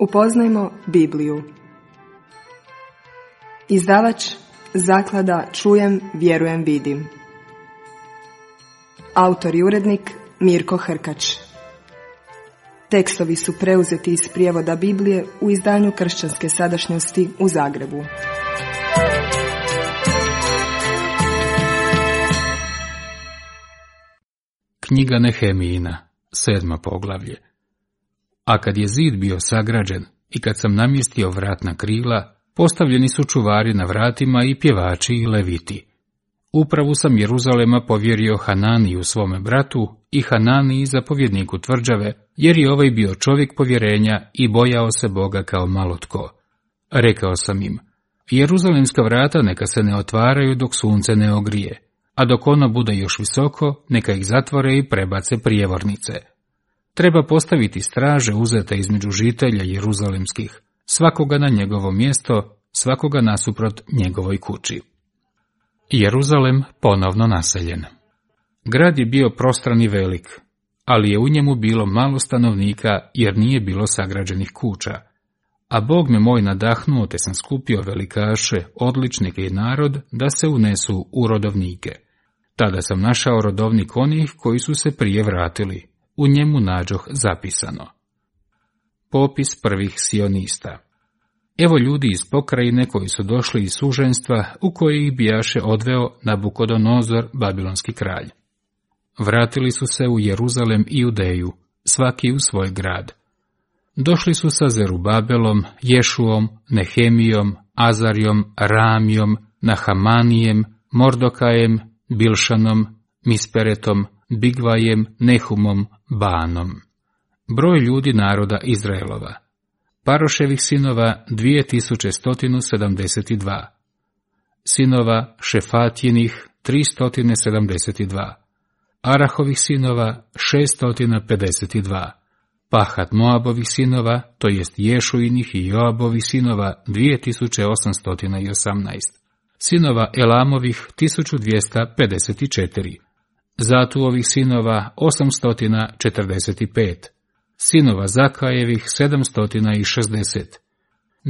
Upoznajmo Bibliju. Izdavač Zaklada Čujem, vjerujem, vidim. Autor i urednik Mirko Hrkač. Tekstovi su preuzeti iz prijevoda Biblije u izdanju Kršćanske sadašnjosti u Zagrebu. Knjiga Nehemijina, 7. poglavlje. A kad je zid bio sagrađen i kad sam namjestio vratna krila, postavljeni su čuvari na vratima i pjevači i leviti. Upravu sam Jeruzalema povjerio Hananiju svome bratu i Hananiji zapovjedniku tvrđave, jer je ovaj bio čovjek povjerenja i bojao se Boga kao malo tko. Rekao sam im, Jeruzalemska vrata neka se ne otvaraju dok sunce ne ogrije, a dok ono bude još visoko, neka ih zatvore i prebace prijevornice. Treba postaviti straže uzete između žitelja jeruzalemskih, svakoga na njegovo mjesto, svakoga nasuprot njegovoj kući. Jeruzalem ponovno naseljen. Grad je bio prostran i velik, ali je u njemu bilo malo stanovnika jer nije bilo sagrađenih kuća. A Bog me moj nadahnuo, te sam skupio velikaše, odličnike i narod da se unesu u rodovnike. Tada sam našao rodovnik onih koji su se prije vratili. U njemu nađoh zapisano. Popis prvih sionista. Evo ljudi iz pokrajine koji su došli iz suženstva u koje ih bijaše odveo Nabukodonozor, babilonski kralj. Vratili su se u Jeruzalem i Judeju, svaki u svoj grad. Došli su sa Zerubabelom, Ješuom, Nehemijom, Azarijom, Ramijom, Nahamanijem, Mordokajem, Bilšanom, Misperetom, Bigvajem, Nehumom, Banom. Broj ljudi naroda Izraelova. Paroševih sinova 2172. Sinova Šefatjinih 372. Arahovih sinova 652. Pahat Moabovih sinova, to jest Ješuinih i Joabovih sinova 2818. Sinova Elamovih 1254. Zatuovih sinova 845. Sinova Zakajevih 760.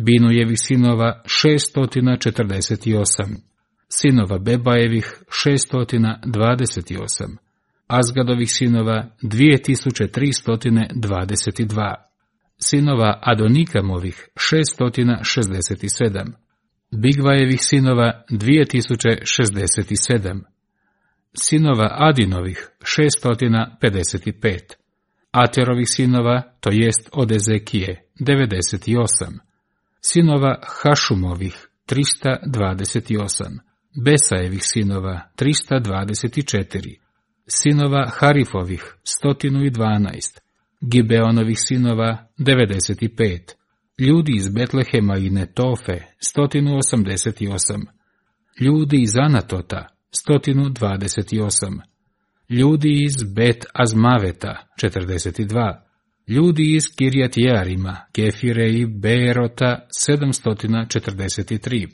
Binujevih sinova 648. Sinova Bebajevih 628. Azgadovih sinova 2322. Sinova Adonikamovih 667. Bigvajevih sinova 2067. Sinova Adinovih 655. Aterovih sinova, to jest od Ezekije, 98. Sinova Hašumovih 328. Besajevih sinova 324. Sinova Harifovih 112. Gibeonovih sinova 95. Ljudi iz Betlehema i Netofe 188. Ljudi iz Anatota 128. Ljudi iz Bet Azmaveta 42. Ljudi iz Kirjat Jearima, Kefire i Beerota 743.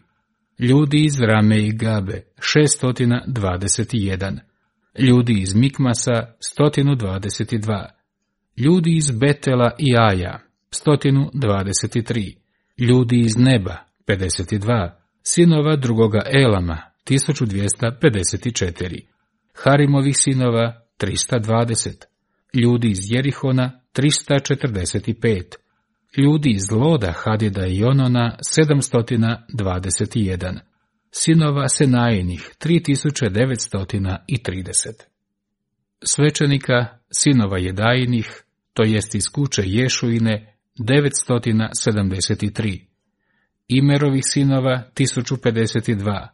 Ljudi iz Rame i Gabe 621. Ljudi iz Mikmasa 122. Ljudi iz Betela i Aja 123. Ljudi iz Neba 52. Sinova drugoga Elama 1254. Harimovih sinova 320. Ljudi iz Jerihona 345. Ljudi iz Loda, Hadida i Onona 721. Sinova Senajinih 3930. Svećenika, sinova Jedajinih, to jest iz kuće Ješuine 973. Imerovih sinova 1052.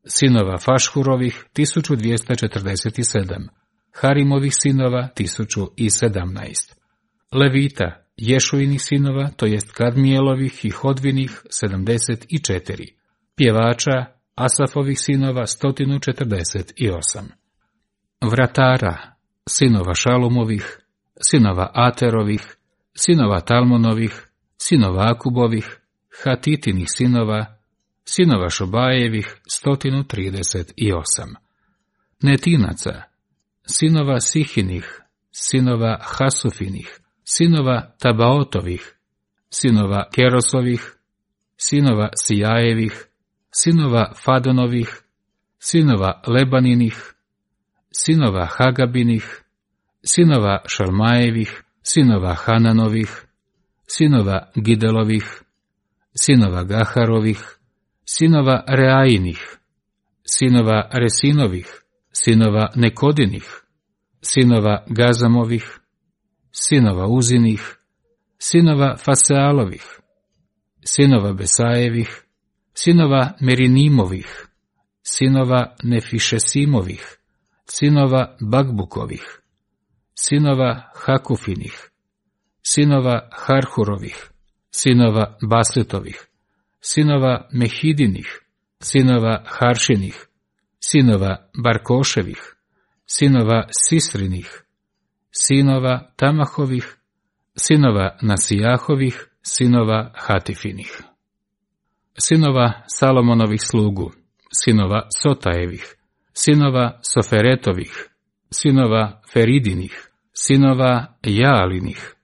Sinova Fašhurovih 1247. Harimovih sinova 1017. Levita, Ješuinih sinova, to jest Kadmijelovih i Hodvinih 74. Pjevača, Asafovih sinova 148. Vratara, sinova Šalumovih, sinova Aterovih, sinova Talmonovih, sinova Akubovih, Hatitinih sinova, sinova Šobajevih 138. Netinaca, sinova Sihinih, sinova Hasufinih, sinova Tabaotovih, sinova Kerosovih, sinova Sijajevih, sinova Fadonovih, sinova Lebaninih, sinova Hagabinih, sinova Šalmajevih, sinova Hananovih, sinova Gidelovih, sinova Gaharovih, sinova Reainih, sinova Resinovih, sinova Nekodinih, sinova Gazamovih, sinova Uzinih, sinova Fasealovih, sinova Besajevih, sinova Merinimovih, sinova Nefišesimovih, sinova Bagbukovih, sinova Hakufinih, sinova Harhurovih, sinova Basletovih, sinova Mehidinih, sinova Haršinih, sinova Barkoševih, sinova Sisrinih, sinova Tamahovih, sinova Nasijahovih, sinova Hatifinih, sinova Salomonovih slugu, sinova Sotajevih, sinova Soferetovih, sinova Feridinih, sinova Jaalinih,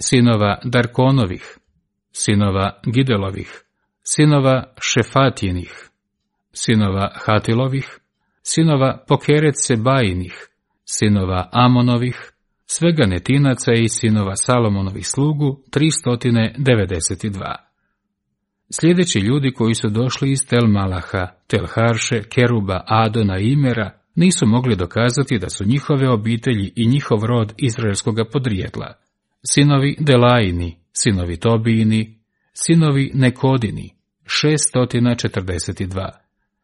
sinova Darkonovih, sinova Gidelovih, sinova Šefatijenih, sinova Hatilovih, sinova Pokeret Sebajinih, sinova Amonovih, svega netinaca i sinova Salomonovih slugu 392. Sljedeći ljudi koji su došli iz Tel Malaha, Tel Harše, Keruba, Adona i Imera nisu mogli dokazati da su njihove obitelji i njihov rod izraelskoga podrijetla. Sinovi Delajini, sinovi Tobijini, sinovi Nekodini, 642,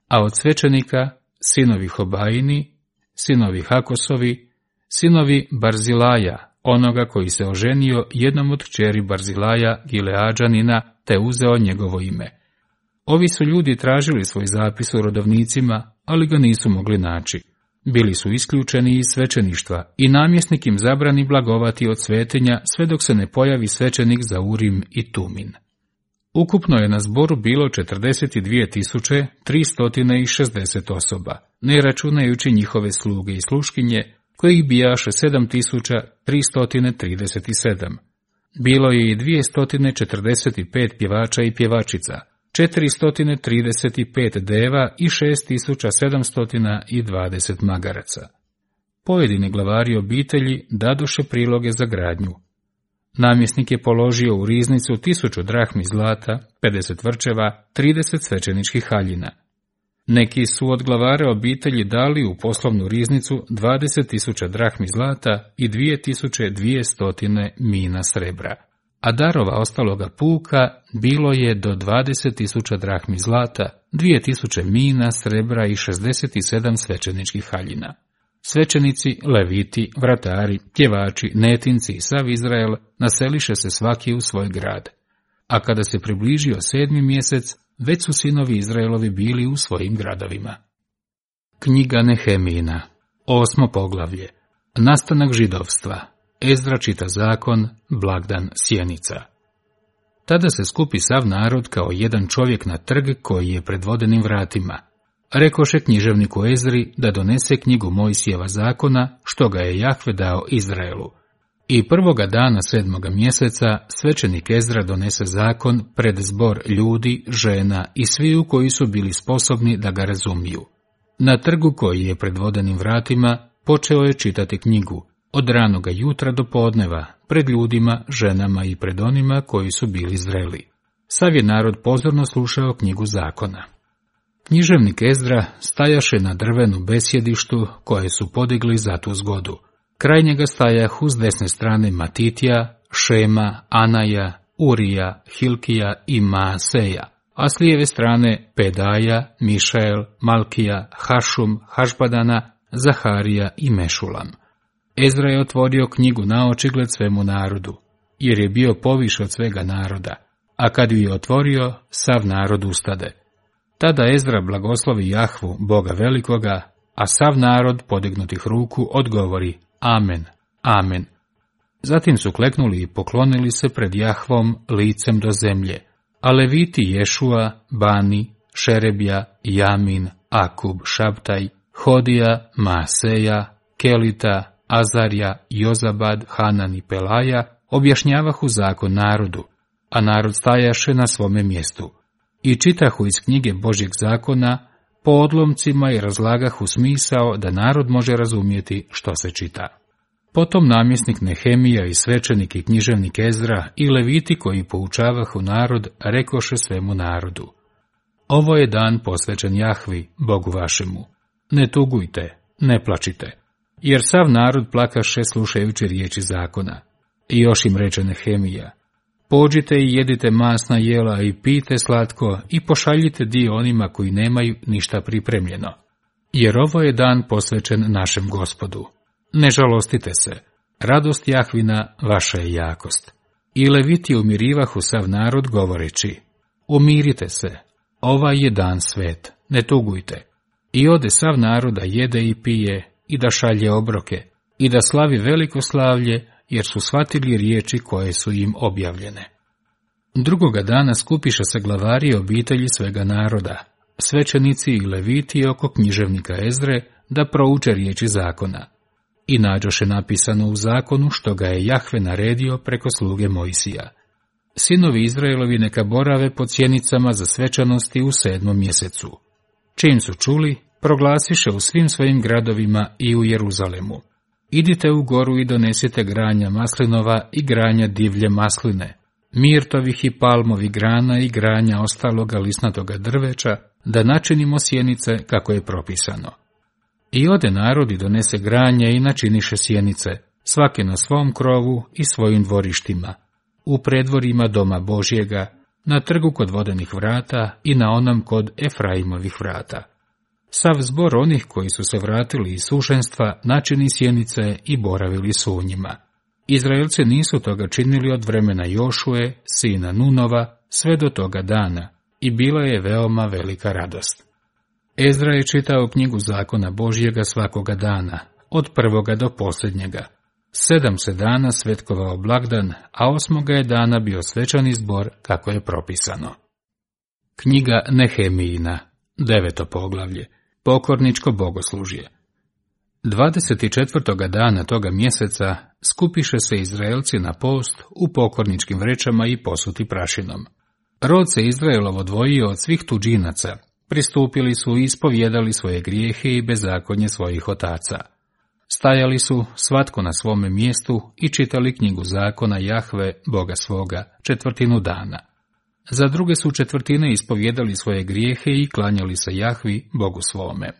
a od svećenika sinovi Hobajini, sinovi Hakosovi, sinovi Barzilaja, onoga koji se oženio jednom od kćeri Barzilaja Gileadžanina, te uzeo njegovo ime. Ovi su ljudi tražili svoj zapis u rodovnicima, ali ga nisu mogli naći. Bili su isključeni iz svećeništva i namjesnik im zabrani blagovati od svetinja sve dok se ne pojavi svećenik za Urim i Tumin. Ukupno je na zboru bilo 42.360 osoba, ne računajući njihove sluge i sluškinje, kojih bijaše 7.337. Bilo je i 245 pjevača i pjevačica, 435 deva i 6.720 magaraca. Pojedini glavari obitelji dadoše priloge za gradnju. Namjesnik je položio u riznicu 1000 drahmi zlata, 50 vrčeva, 30 svećeničkih haljina. Neki su od glavara obitelji dali u poslovnu riznicu 20.000 drahmi zlata i 2200 mina srebra, a darova ostaloga puka bilo je do 20.000 drahmi zlata, 2000 mina srebra i 67 svećeničkih haljina. Svećenici, leviti, vratari, pjevači, netinci i sav Izrael naseliše se svaki u svoj grad. A kada se približio 7. mjesec, već su sinovi Izraelovi bili u svojim gradovima. Knjiga Nehemijina, 8. poglavlje. Nastanak židovstva. Ezdra čita zakon, blagdan sjenica. Tada se skupi sav narod kao jedan čovjek na trg koji je pred vodenim vratima. Rekoše književniku Ezri da donese knjigu Mojsijeva zakona, što ga je Jahve dao Izraelu. I prvoga dana 7. mjeseca svećenik Ezdra donese zakon pred zbor ljudi, žena i sviju koji su bili sposobni da ga razumiju. Na trgu koji je pred vodenim vratima počeo je čitati knjigu, od ranoga jutra do podneva, pred ljudima, ženama i pred onima koji su bili zreli. Sav je narod pozorno slušao knjigu zakona. Književnik Ezdra stajaše na drvenu besjedištu koje su podigli za tu zgodu. Kraj njega stajahu s desne strane Matitija, Šema, Anaja, Urija, Hilkija i Maaseja, a s lijeve strane Pedaja, Mišael, Malkija, Hašum, Hašbadana, Zaharija i Mešulam. Ezra je otvorio knjigu na očigled svemu narodu, jer je bio poviše od svega naroda, a kad ju je otvorio, sav narod ustade. Tada Ezdra blagoslovi Jahvu, Boga velikoga, a sav narod podignutih ruku odgovori Amen, Amen. Zatim su kleknuli i poklonili se pred Jahvom licem do zemlje, a leviti Ješua, Bani, Šerebja, Jamin, Akub, Šabtaj, Hodija, Maaseja, Kelita, Azarja, Jozabad, Hanan i Pelaja objašnjavahu zakon narodu, a narod stajaše na svome mjestu. I čitahu iz knjige Božjeg zakona po odlomcima i razlagahu smisao da narod može razumjeti što se čita. Potom namjesnik Nehemija i svećenik i književnik Ezra i leviti koji poučavahu narod rekoše svemu narodu: Ovo je dan posvećen Jahvi, Bogu vašemu. Ne tugujte, ne plačite, jer sav narod plakaše slušajući riječi zakona. I još im reče Nehemija: Pođite i jedite masna jela i pijte slatko i pošaljite dio onima koji nemaju ništa pripremljeno, jer ovo je dan posvećen našem Gospodu. Ne žalostite se, radost Jahvina vaša je jakost. I leviti umirivahu sav narod govoreći: Umirite se, ovaj je dan svet, ne tugujte. I ode sav narod da jede i pije i da šalje obroke i da slavi veliko slavlje, jer su shvatili riječi koje su im objavljene. Drugoga dana skupiše se glavari obitelji svega naroda, svećenici i leviti oko književnika Ezre, da prouče riječi zakona. I nađoše napisano u zakonu što ga je Jahve naredio preko sluge Mojsija. Sinovi Izraelovi neka borave pod sjenicama za svečanosti u 7. mjesecu. Čim su čuli, proglasiše u svim svojim gradovima i u Jeruzalemu: Idite u goru i donesite granja maslinova i granja divlje masline, mirtovih i palmovih grana i granja ostaloga lisnatoga drveća, da načinimo sjenice kako je propisano. I ode narod i donese granje i načiniše sjenice, svaki na svom krovu i svojim dvorištima, u predvorima doma Božjega, na trgu kod vodenih vrata i na onom kod Efraimovih vrata. Sav zbor onih koji su se vratili iz sušenstva načini sjenice i boravili su u njima. Izraelci nisu toga činili od vremena Jošue, sina Nunova, sve do toga dana, i bila je veoma velika radost. Ezra je čitao knjigu zakona Božjega svakoga dana, od prvoga do posljednjega. 7 se dana svetkovao blagdan, a 8. je dana bio svečani zbor kako je propisano. Knjiga Nehemijina, 9. poglavlje, pokorničko bogoslužje. 24. dana toga mjeseca skupiše se Izraelci na post u pokorničkim vrećama i posuti prašinom. Rod se Izraelov odvojio od svih tuđinaca, pristupili su i ispovjedali svoje grijehe i bezakonje svojih otaca. Stajali su svatko na svome mjestu i čitali knjigu zakona Jahve, Boga svoga, 1/4 dana. Za druge su 1/4 ispovjedali svoje grijehe i klanjali se Jahvi, Bogu svome.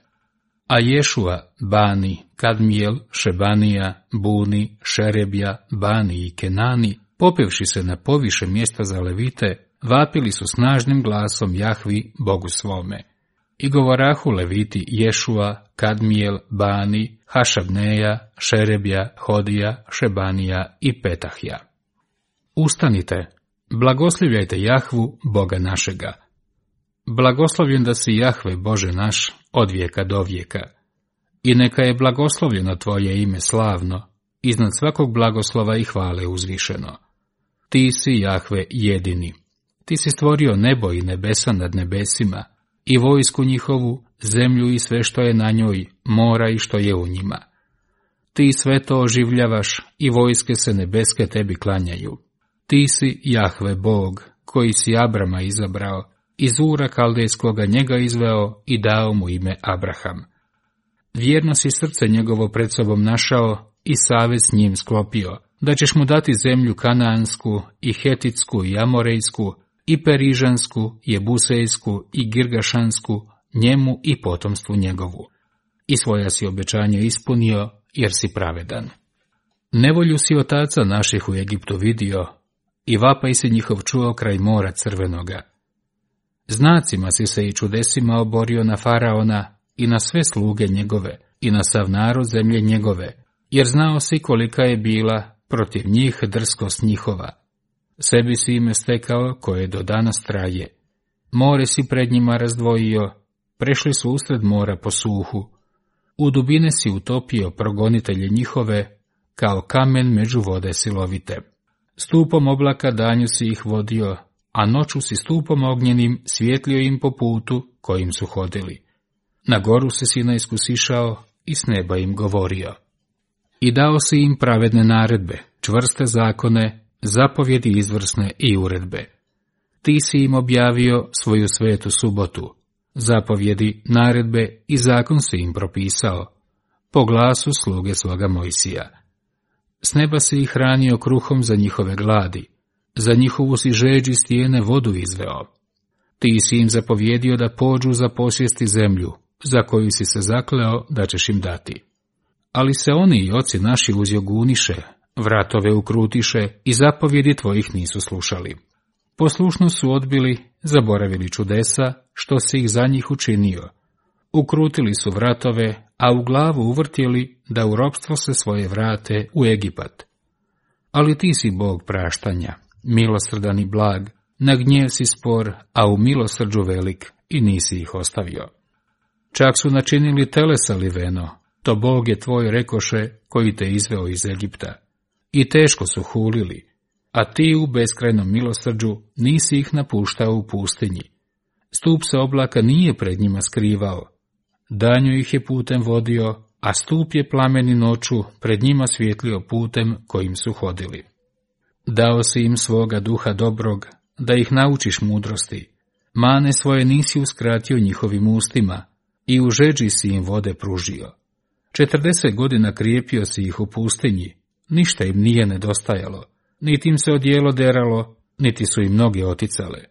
A Ješua, Bani, Kadmijel, Šebanija, Buni, Šerebja, Bani i Kenani, popevši se na poviše mjesta za levite, vapili su snažnim glasom Jahvi, Bogu svome. I govorahu leviti Ješua, Kadmijel, Bani, Hašabneja, Šerebja, Hodija, Šebanija i Petahja. Ustanite, blagoslivljajte Jahvu, Boga našega. Blagoslovljen da si Jahve, Bože naš, od vijeka do vijeka. I neka je blagoslovljeno tvoje ime slavno, iznad svakog blagoslova i hvale uzvišeno. Ti si, Jahve, jedini. Ti si stvorio nebo i nebesa nad nebesima, i vojsku njihovu, zemlju i sve što je na njoj, mora i što je u njima. Ti sve to oživljavaš i vojske se nebeske tebi klanjaju. Ti si, Jahve, Bog, koji si Abrama izabrao, iz Ura Kaldejskoga njega izveo i dao mu ime Abraham. Vjerno si srce njegovo pred sobom našao i savez s njim sklopio, da ćeš mu dati zemlju Kanaansku i Hetitsku i Amorejsku i Perižansku, Jebusejsku i Girgašansku, njemu i potomstvu njegovu. I svoja si obećanje ispunio, jer si pravedan. Nevolju si otaca naših u Egiptu vidio, i vapaj si njihov čuo kraj mora crvenoga. Znacima si se i čudesima oborio na Faraona i na sve sluge njegove i na sav narod zemlje njegove, jer znao si kolika je bila protiv njih drskost njihova. Sebi si ime stekao koje do danas traje. More si pred njima razdvojio, prešli su usred mora po suhu. U dubine si utopio progonitelje njihove, kao kamen među vode silovite. Stupom oblaka danju si ih vodio, a noću si stupom ognjenim svjetlio im po putu kojim su hodili. Na goru si Sinajsku sišao i s neba im govorio. I dao si im pravedne naredbe, čvrste zakone, zapovjedi izvrsne i uredbe. Ti si im objavio svoju svetu subotu, zapovjedi, naredbe i zakon si im propisao, po glasu sluge svoga Mojsija. S neba si ih hranio kruhom za njihove gladi, za njihovu si žeđ iz stijene vodu izveo. Ti si im zapovjedio da pođu za posjesti zemlju, za koju si se zakleo da ćeš im dati. Ali se oni i oci naši uzjoguniše, vratove ukrutiše i zapovjedi tvojih nisu slušali. Poslušno su odbili, zaboravili čudesa, što si ih za njih učinio. Ukrutili su vratove, a u glavu uvrtjeli da u ropstvo se svoje vrate u Egipat. Ali ti si Bog praštanja, milosrdan i blag, na gnjev si spor, a u milosrđu velik i nisi ih ostavio. Čak su načinili telesa liveno, to Bog je tvoj rekoše koji te izveo iz Egipta. I teško su hulili, a ti u beskrajnom milosrđu nisi ih napuštao u pustinji. Stup se oblaka nije pred njima skrivao, danju ih je putem vodio, a stup je plameni noću pred njima svjetlio putem kojim su hodili. Dao si im svoga duha dobrog, da ih naučiš mudrosti, mane svoje nisi uskratio njihovim ustima, i u žeđi si im vode pružio. 40 godina krijepio si ih u pustinji, ništa im nije nedostajalo, niti im se odijelo deralo, niti su im noge oticale.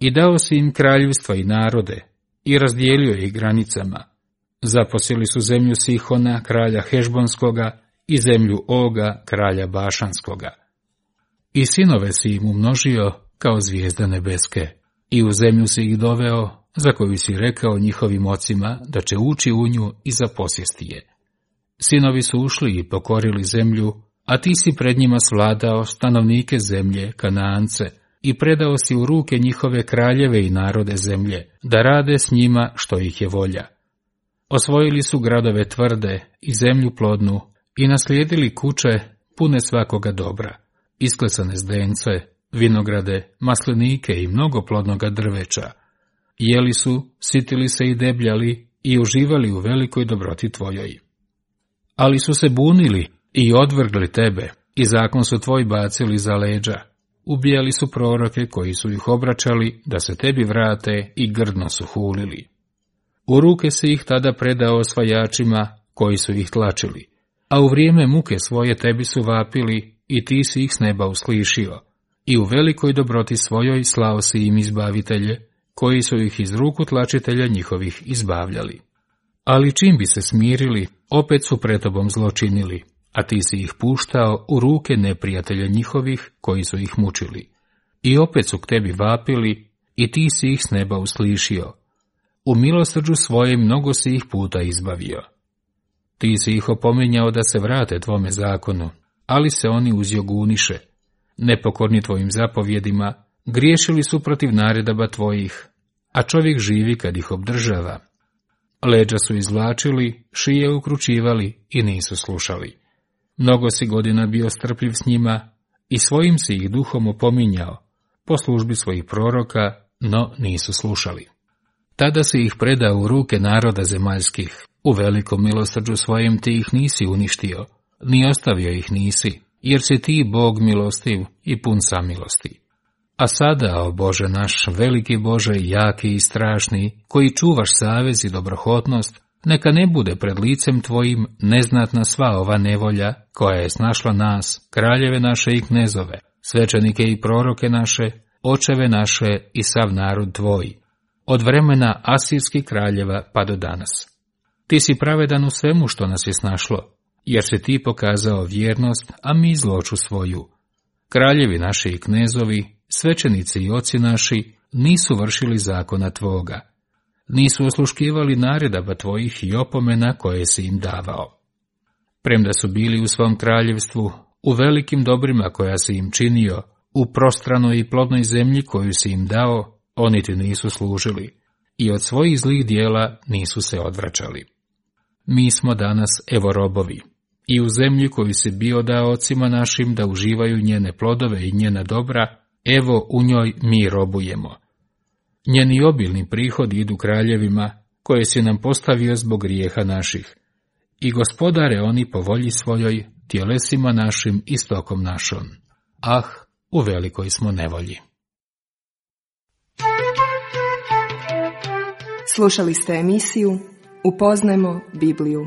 I dao si im kraljevstva i narode, i razdijelio ih granicama. Zaposjeli su zemlju Sihona, kralja Hešbonskoga, i zemlju Oga, kralja Bašanskoga. I sinove si im umnožio kao zvijezde nebeske, i u zemlju si ih doveo, za koju si rekao njihovim ocima da će ući u nju i zaposjesti je. Sinovi su ušli i pokorili zemlju, a ti si pred njima svladao stanovnike zemlje, Kanaance, i predao si u ruke njihove kraljeve i narode zemlje, da rade s njima što ih je volja. Osvojili su gradove tvrde i zemlju plodnu i naslijedili kuće pune svakoga dobra, isklesane zdence, vinograde, maslinike i mnogo plodnoga drveća. Jeli su, sitili se i debljali i uživali u velikoj dobroti tvojoj. Ali su se bunili i odvrgli tebe, i zakon su tvoj bacili za leđa. Ubijali su proroke koji su ih obraćali da se tebi vrate i grdno su hulili. U ruke si ih tada predao osvajačima koji su ih tlačili, a u vrijeme muke svoje tebi su vapili i ti si ih s neba uslišio, i u velikoj dobroti svojoj slao si im izbavitelje, koji su ih iz ruku tlačitelja njihovih izbavljali. Ali čim bi se smirili, opet su pred tobom zločinili, a ti si ih puštao u ruke neprijatelja njihovih koji su ih mučili. I opet su k tebi vapili, i ti si ih s neba uslišio. U milosrđu svoje mnogo si ih puta izbavio. Ti si ih opominjao da se vrate tvome zakonu, ali se oni uzjoguniše. Nepokorni tvojim zapovjedima, griješili su protiv naredaba tvojih, a čovjek živi kad ih obdržava. Leđa su izvlačili, šije ukručivali i nisu slušali. Mnogo si godina bio strpljiv s njima i svojim si ih duhom opominjao, po službi svojih proroka, no nisu slušali. Tada si ih predao u ruke naroda zemaljskih, u velikom milosrđu svojem ti ih nisi uništio, ni ostavio ih nisi, jer si ti Bog milostiv i pun samilosti. A sada, o Bože naš, veliki Bože, jaki i strašni, koji čuvaš savez i dobrohotnost, neka ne bude pred licem tvojim neznatna sva ova nevolja, koja je snašla nas, kraljeve naše i knezove, svećenike i proroke naše, očeve naše i sav narod tvoj, od vremena asirskih kraljeva pa do danas. Ti si pravedan u svemu što nas je snašlo, jer si ti pokazao vjernost, a mi zloču svoju. Kraljevi naši i knezovi, svećenici i oci naši, nisu vršili zakona tvoga. Nisu osluškivali naredaba tvojih i opomena koje si im davao. Premda su bili u svom kraljevstvu, u velikim dobrima koja si im činio, u prostranoj i plodnoj zemlji koju si im dao, oni ti nisu služili i od svojih zlih dijela nisu se odvraćali. Mi smo danas evo robovi, i u zemlji koju si bio dao ocima našim da uživaju njene plodove i njena dobra, evo u njoj mi robujemo. Njeni obilni prihodi idu kraljevima, koje si nam postavio zbog grijeha naših, i gospodare oni po volji svojoj, tjelesima našim i stokom našom. Ah, u velikoj smo nevolji. Slušali ste emisiju Upoznajmo Bibliju.